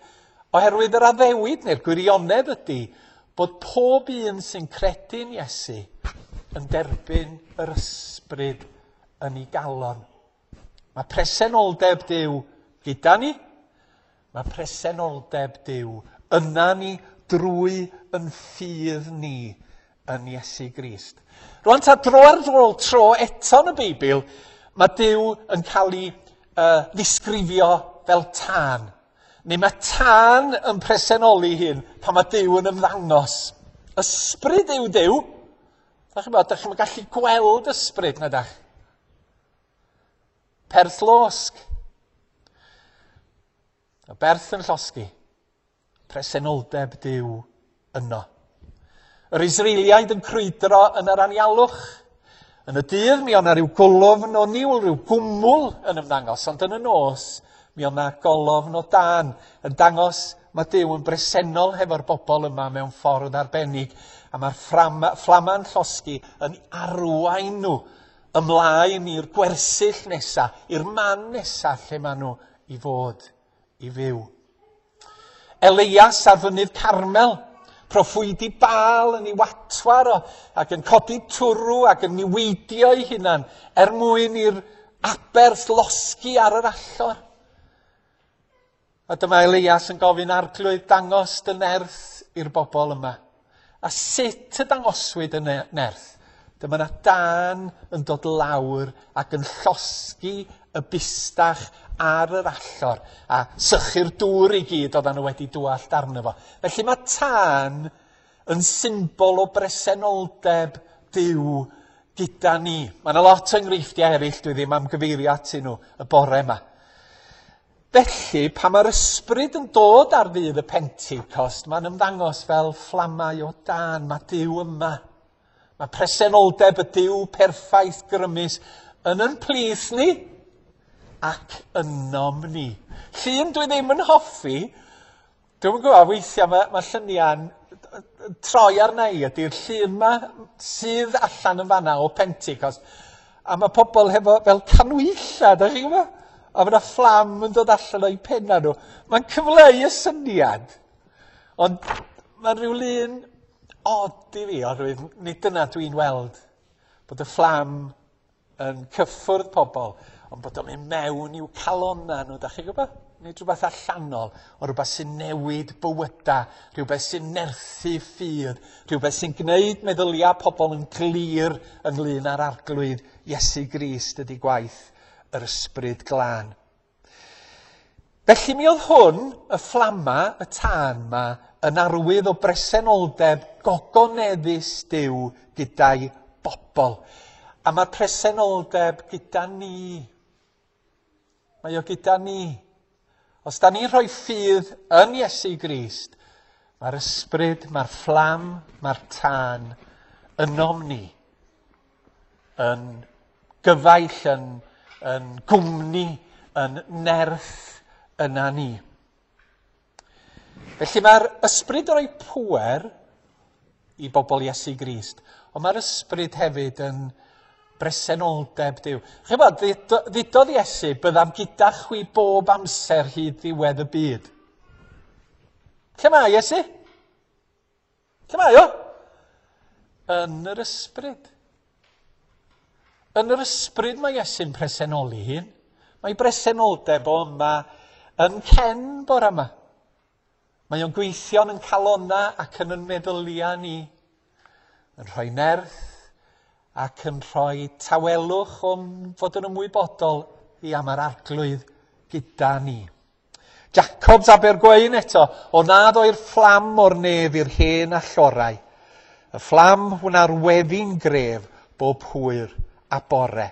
oherwydd yr addewid neu'r gwirionedd ydy bod pob un sy'n credu'n Iesu yn derbyn yr ysbryd yn ei galon. Mae presenoldeb Duw gyda ni. Mae presenoldeb Duw yna ni drwy yn ffydd ni yn Iesu Grist. Rwan ta dro ar ôl tro eto yn y Beibl, mae Duw yn cael ei ddisgrifio fel tân. Neu mae tân yn presenoli hyn pan mae Duw yn ymddangos. Ysbryd yw Duw. Da chi'n bod, da chi'n gallu gweld ysbryd na dach. Perth losg. Y berth yn llosgi. Presenoldeb Duw yno. Yr Israeliaid yn crwydro yn yr anialwch. Yn y dydd mi o'na rhyw golofn o niwl, rhyw gwmwl yn ymddangos, ond yn y nos mi o'na golofn o dan yn dangos mae Duw yn bresennol hefo'r bobl yma mewn ffordd arbennig, a mae'r fflama'n llosgi yn arwain nhw ymlaen i'r gwersyll nesa, i'r man nesa lle maen nhw i fod i fyw. Elias ar fynydd Carmel, proffwydi Baal yn ei watwar o, ac yn codi twrw ac yn niweidio ei hunan er mwyn i'r aberth losgi ar yr allor. A dyma Elias yn gofyn arglwydd dangos dy nerth i'r bobl yma. A sut y dangoswyd y nerth? Dyma na dân yn dod lawr ac yn llosgi y bustach ar yr allor a sychu'r dŵr i gyd oedden nhw wedi dwallt arno fo. Felly mae tân yn symbol o bresenoldeb Duw gyda ni. Mae yna lot o enghreifftiau eraill dwi ddim am gyfeirio atyn nhw y bore yma. Felly, pan mae'r ysbryd yn dod ar ddydd y Pentecost, mae'n ymddangos fel fflamau o dân. Mae Duw yma. Mae presenoldeb y Duw perffaith grymus yn yn plith ni ac ynom ni. Llun dwi ddim yn hoffi, dwi'n gwybod, weithiau mae, mae lluniau'n troi arna i ydy'r llun yma sydd allan yn fanna o Pentecost. A mae pobl hefo fel canwylla, da chi'n gwybod? A mae yna fflam yn dod allan o'i penna nhw. Mae'n cyfleu y syniad. Ond mae'n rhyw lun od i fi, oherwydd nid dyna dwi'n weld. Bod y fflam yn cyffwrdd pobl, ond bod o'n mynd mewn i'w calonna nhw, da chi'n gwybod? Nid rhywbeth allanol, ond rhywbeth sy'n newid bywyda, rhywbeth sy'n nerthu ffydd, rhywbeth sy'n gwneud meddyliau pobl yn glir ynglyn â'r arglwydd Iesu Grist ydy gwaith yr ysbryd glân. Felly mi oedd hwn, y fflama, y tân ma, yn arwydd o bresenoldeb gogoneddus Duw gyda'i bobl. A mae'r presenoldeb gyda ni. Mae o gyda ni. Os da ni'n rhoi ffydd yn Iesu Grist, mae'r ysbryd, mae'r fflam, mae'r tân ynom ni. Yn gyfaill, yn, yn gwmni, yn nerth yna ni. Felly mae'r ysbryd yn rhoi pŵer i bobl Iesu Grist, ond mae'r ysbryd hefyd yn bresenoldeb Duw. Chi'n bod, ddudodd Iesu, byddaf gyda chwi bob amser hyd ddiwedd y byd. Lle mae Iesu? Lle mae o? Yn yr ysbryd. Yn yr ysbryd mae Iesu'n presenoli hun. Mae bresenoldeb o yma yn cen bore yma. Mae o'n gweithio'n yn calona ac yn yn meddyliau ni. Yn rhoi nerth ac yn rhoi tawelwch o'n fod yn ymwybodol i am yr arglwydd gyda ni. Jacobs Abergweun eto, o nad oer fflam o'r nef i'r hen allorau. Y fflam wna'r weddi'n gref bob hwyr a bore.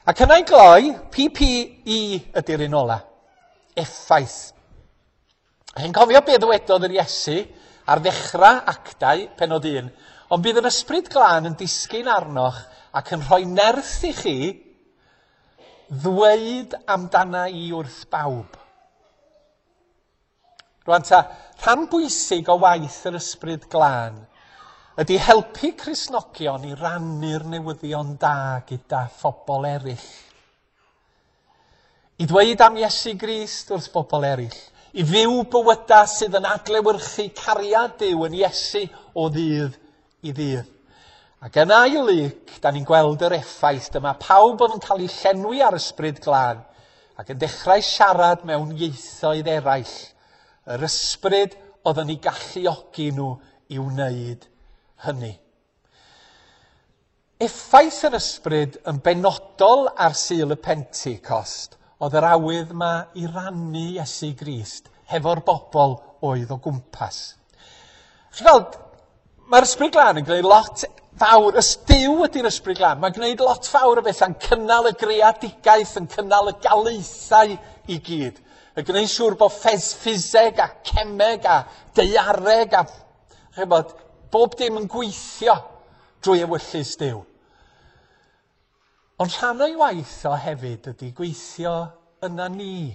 Ac yna i gloi, PPE ydy'r un ola. Effaith. Chi'n cofio be ddywedodd yr Iesu ar ddechrau actau penod 1, ond bydd yr ysbryd glân yn disgyn arnoch ac yn rhoi nerth i chi ddweud amdana i wrth bawb. Rwan ta, rhan bwysig o waith yr ysbryd glân ydy helpu Cristnogion i rannu'r newyddion da gyda phobl eraill. I ddweud am Iesu Grist wrth bobl eraill. I fyw bywydau sydd yn adlewyrchu cariad Duw yn Iesu o ddydd i ddydd. Ac yn ail Luc, da ni'n gweld yr effaith. Dyma pawb oedd yn cael eu llenwi ar Ysbryd Glân ac yn dechrau siarad mewn ieithoedd eraill. Yr ysbryd oedd yn eu galluogi nhw i wneud hynny. Effaith yr ysbryd yn benodol ar Sul y Pentecost oedd yr awydd 'ma i rannu Iesu Grist hefo'r bobl oedd o gwmpas. Chi'n gweld, mae'r Ysbryd Glân yn gwneud lot fawr, ys Duw ydy'r Ysbryd Glân, mae'n gwneud lot fawr o bethau'n cynnal y greadigaeth, yn cynnal y galaethau i gyd. Yn gwneud siŵr bod ffiseg a cemeg a daeareg a chybod, bob dim yn gweithio drwy ewyllys Duw. Ond rhan o'i waith o hefyd ydy gweithio yna ni.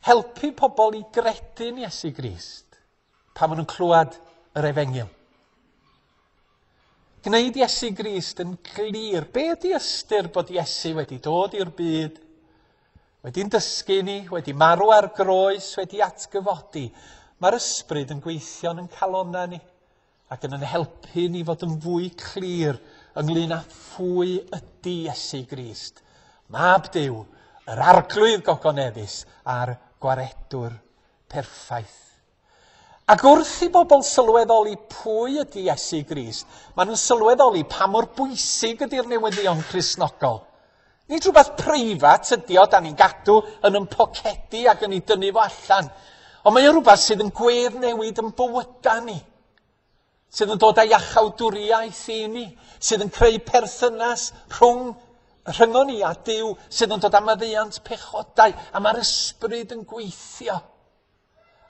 Helpu pobl i gredu'n Iesu Grist pan maen nhw'n clywed yr efengyl. Gwneud Iesu Grist yn glir. Be ydy ystyr bod Iesu wedi dod i'r byd, wedi'n dysgu ni, wedi marw ar groes, wedi atgyfodi? Mae'r ysbryd yn gweithio yn calonnau ni ac yn yn helpu ni fod yn fwy clir ynglyn â phwy ydy Iesu Grist, Mab Duw, yr Arglwydd gogoneddus a'r Gwaredwr perffaith. Ac wrth i bobl sylweddoli pwy ydy Iesu Grist, maen nhw'n sylweddoli pa mor bwysig ydy'r newyddion Cristnogol. Nid rhywbeth preifat ydy o, da ni'n gadw yn yn pocedi ac yn ei dynnu fo allan. Ond mae o rhywbeth sydd yn gwedd newid yn bywydau ni. Sydd yn dod â iachawdwriaeth i ni, sydd yn creu perthynas rhwng rhyngon ni a Duw, sydd yn dod â maddeuant pechodau, a mae'r ysbryd yn gweithio.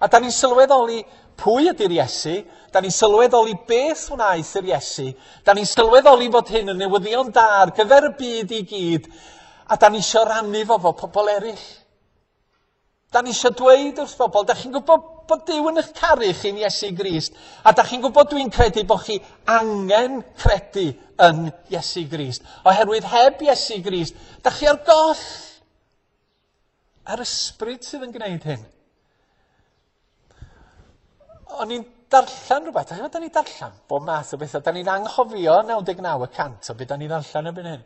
A da ni'n sylweddoli pwy ydy'r Iesu, da ni'n sylweddoli beth wnaeth yr Iesu, da ni'n sylweddoli fod hyn yn newyddion da ar gyfer y byd i gyd, a da ni eisiau rannu fo fo pobl eraill. Da ni eisiau dweud wrth bobl, da chi'n gwybod bod Duw yn eich caru chi'n Iesu Grist, a da chi'n gwybod dwi'n credu bod chi angen credu yn Iesu Grist. Oherwydd heb Iesu Grist, da chi ar goll. A'r ysbryd sydd yn gwneud hyn. O'n i'n darllen rhywbeth, da ni'n darllen bob math o bethau, da ni'n anghofio 99% o beth da ni'n ddarllen erbyn hyn.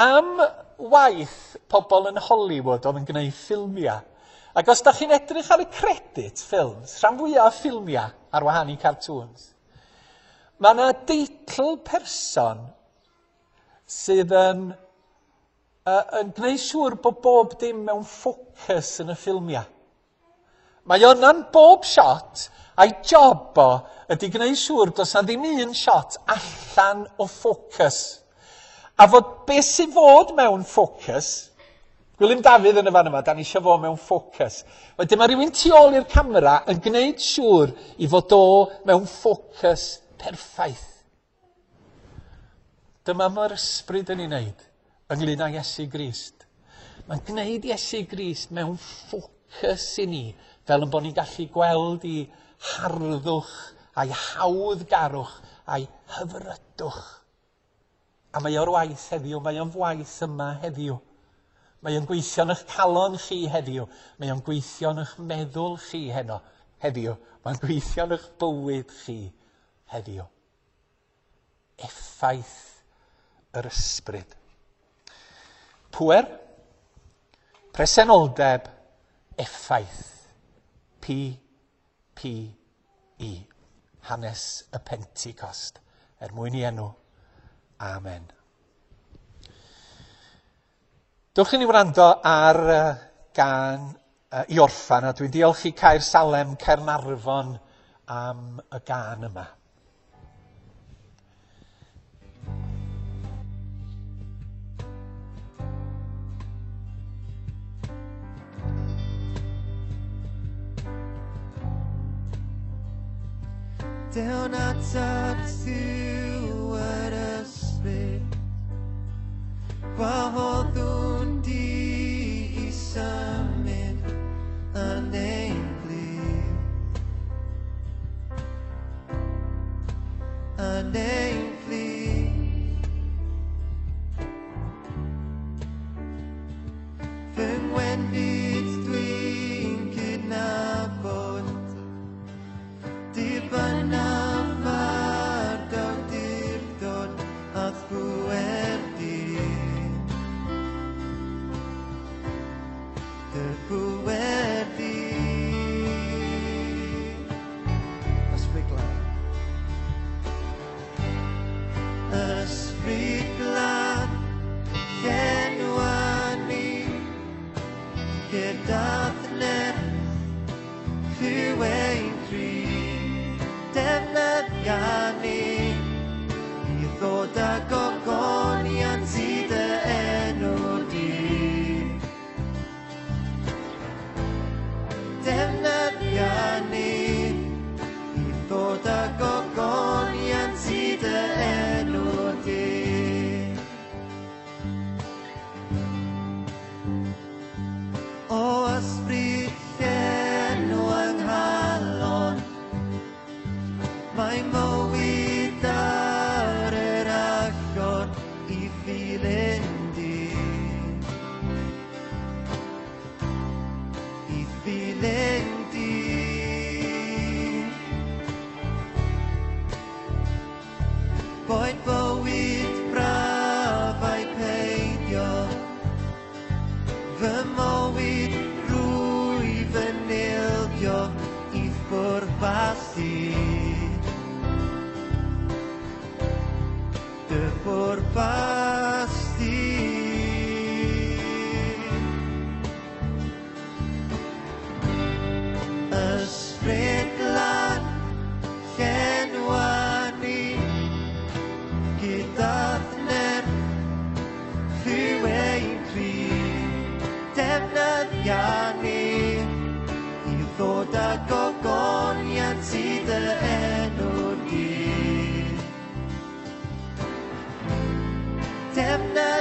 Am waith pobl yn Hollywood oedd yn gwneud ffilmiau. Ac os da chi'n edrych ar y credit ffilms, rhan fwyaf o ffilmiau ar wahân i cartoons, mae yna deitl person sydd yn, yn gwneud siŵr bod bob dim mewn ffocws yn y ffilmiau. Mae o yna'n bob shot, a'i job o ydy gwneud siŵr does na ddim un shot allan o ffocws. A fod beth sydd fod mewn ffocws, Gwilym Dafydd yn y fan yma, da ni eisiau fo mewn ffocws. Wedyn mae rhywun tu ôl i'r camera yn gwneud siŵr i fod o mewn ffocws perffaith. Dyma mae'r ysbryd yn ei wneud ynglyn â Iesu Grist. Mae'n gwneud Iesu Grist mewn ffocws i ni, fel yn bod ni'n gallu gweld i harddwch a'i hawddgarwch a'i hyfrydwch. A mae o'r waith heddiw, mae o'n waith yma heddiw. Mae o'n gweithio yn eich calon chi heddiw. Mae o'n gweithio yn eich meddwl chi heno heddiw. Mae'n gweithio yn eich bywyd chi heddiw. Effaith yr ysbryd. Pŵer, presenoldeb, effaith. P, P, E. Hanes y Pentecost. Er mwyn i enw. Amen. Dewch i ni wrando ar gan i orffan, a dwi'n diolch i Caer Salem, Caernarfon am y gân yma. Dewn atat Duw yr ysbryd, gwahoddwn di i symud yn ein plith. Yn ein plith.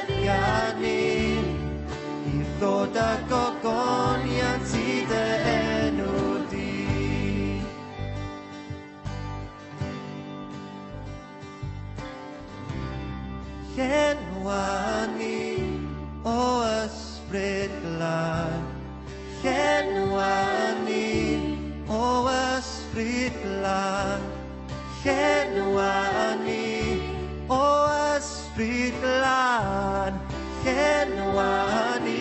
Defnyddia ni i ddod â gogoniant i dy enw di. Llenwa ni o ysbryd glân. Llenwa ni o ysbryd glân. Llenwa ni o ysbryd glân. Llenwa ni.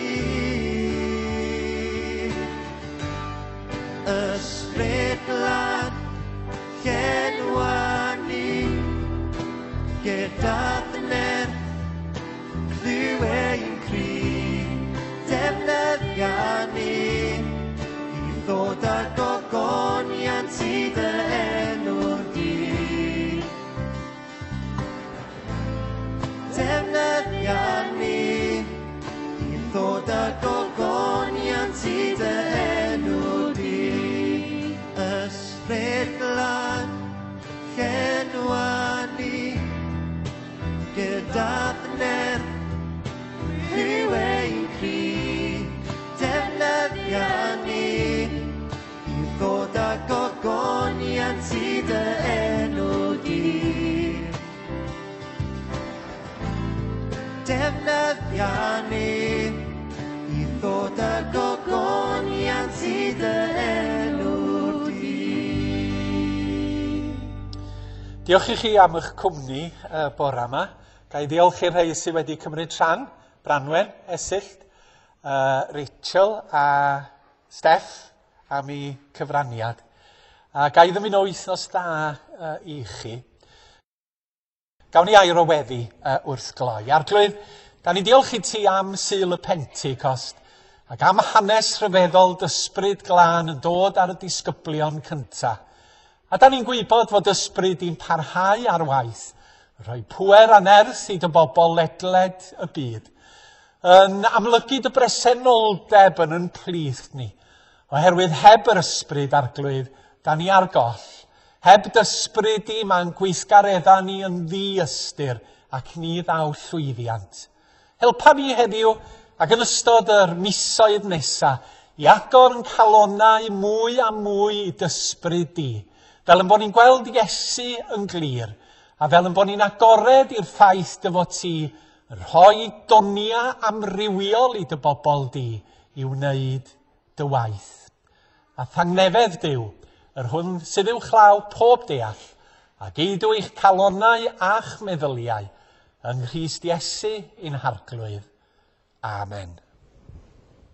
Ysbryd glân, llenwa ni. Gyda dy nerth, clyw ein cri. Defnyddia ni i ddod â gogoniant i dy enw di. Defnyddia ni i ddod â gogoniant i dy enw di. Ysbryd glân, llenwa ni gyda dy nerth, clyw ein cri. Defnyddia ni i ddod â gogoniant i dy enw di. Defnyddia ni i ddod â gogoniant i dy enw di. Diolch i chi am eich cwmni bore yma. Ga i ddiolch i'r rhai sydd wedi cymryd rhan, Branwen, Esyllt, Rachel a Steff am eu cyfraniad. A ga i ddymuno wythnos dda i chi. Gawn ni air o weddi wrth gloi. Arglwydd, da ni diolch i ti am Sul y Pentecost ac am hanes rhyfeddol d'ysbryd glân yn dod ar y disgyblion cynta. A da ni'n gwybod fod ysbryd di'n parhau ar waith, rhoi pŵer a nerth i dy bobl ledled y byd, yn amlygu dy bresenoldeb yn yn plith ni, oherwydd heb yr ysbryd Arglwydd, da ni ar goll. Heb d'ysbryd di, mae'n gweithgaredda ni yn ddiystyr ac ni ddaw llwyddiant. Helpa ni heddiw ac yn ystod yr misoedd nesa i agor yn calonnau mwy a mwy i d'ysbryd di, fel yn bod ni'n gweld Iesu yn glir, a fel yn bod ni'n agored i'r ffaith dy fod ti yn rhoi donia amrywiol i dy bobl di i wneud dy waith. A thangnefedd Duw, yr hwn sydd uwchlaw pob deall, a geidw eich calonnau a'ch meddyliau yng Nghrist Iesu ein Harglwydd. Amen.